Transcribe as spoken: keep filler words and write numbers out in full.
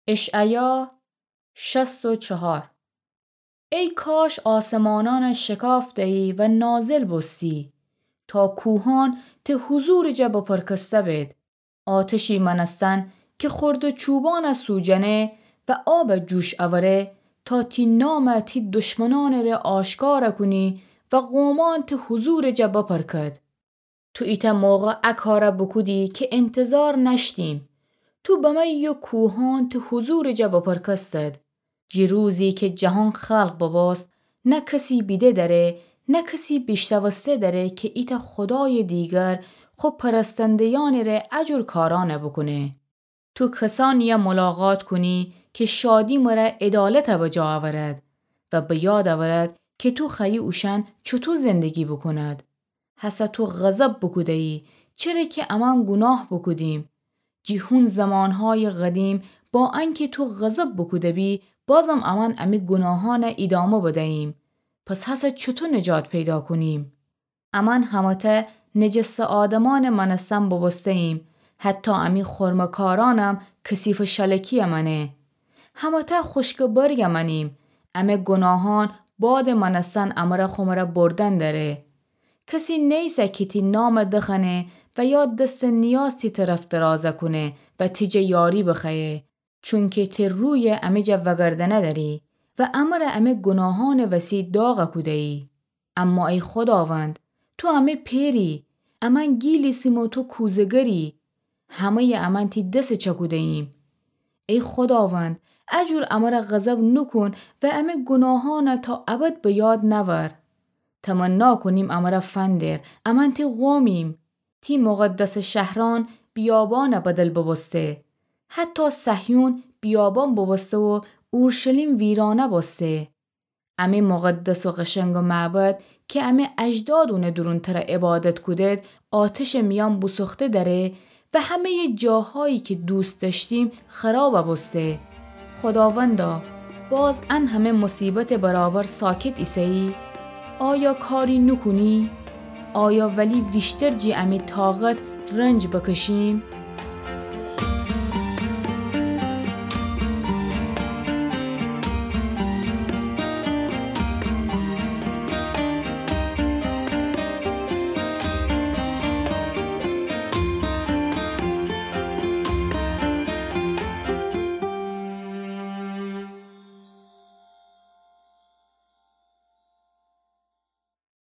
اشعیا شصت و چهار. ای کاش آسمانأنَ شکافته‌یی و نازل بوستی، تا کوهأن ته حضورٚ جا بپرکسته بید. آتشی مأنستن که خرده چوبأنَ سوجنه و آبَ جوش اوره، تا تی نامَ تی دشمنأنٚره آشکارَ کونی و قومأن ته حضورٚ جا بپرکد. تو ایتأ موقع ا کارَ بوکودی که انتظار نأشتیم. تو بمه‌یی و کوهأن ته حضورٚ جا بپرکستد. جی روزی که جهان خلق ببوست، نه کسی بیده دأره، نه کسی بیشنوسته دأره که ایتأ خودایٚ دیگر خو پرستنده‌یأنٚره ا جور کارأنَ بوکونه. تو کسأنی‌یَ ملاقات کونی که شادی مره عدالتَ بجا اورد و به یاد اورد که تو خوأیی اوشأن چوطو زندگی بوکوند. هسه تو غضب بوکوده‌یی، چره که امأن گوناه بوکودیم. جی هون زمانهایٚ قدیم، با انکه تو غضب بوکوده بی، بازم امأن امی گوناهأنَ ایدامه بدهییم. پس هسه چوطو نجات پیدا کونیم؟ امأن همه‌تأ نجسٚ آدمأنٚ مأنستن بوبوسته‌ییم، حتی امی خرمه‌کارأنم کثیفٚ شلکی‌یَ مأنه. همه‌تأ خوشکٚ برگَ مأنیم، امه گوناهأن بادٚ مأنستن امره خو مره بردن دأره. کسی نیسه که تی نامَ دخوأنه و یا دستٚ نیاز تی طرف درازَ کونه و تی جا یاری بخوأیه. چونکه تی رویَ امه جا وأگردأنه دأری و امره امه گوناهأنٚ وسی داغَ کوده‌یی. اما ای خوداوند، تو امه پئری، امأن گیل ایسیم و تو کوزه‌گری، همه‌یٚ امأن تی دس چأکوده‌ییم. ای خوداوند، ا جور امره غضب نوکون و امه گوناهأنَ تا ابد به یاد نأور. تمنا کونیم امره فندر، امأن تی قومیم. تی مقدسٚ شهرأن بیابانٚ بدل بوبوسته. حتی صهیون بیابان بوبوسته و اورشلیم ویرانه بوسته. امه مقدس و قشنگٚ معبد که امه اجداد اونٚ دورون تره عبادت کودید، آتشٚ میأن بوسوخته دأره و همه‌یٚ جاهایی که دوست دأشتیم خرابَ بوسته. خوداوندا، باز ان همه مصیبتٚ برابر ساکت ایسه‌یی؟ آیا کاری نوکونی؟ آیا ولی ویشتر جی امی طاقت رنج بکشیم؟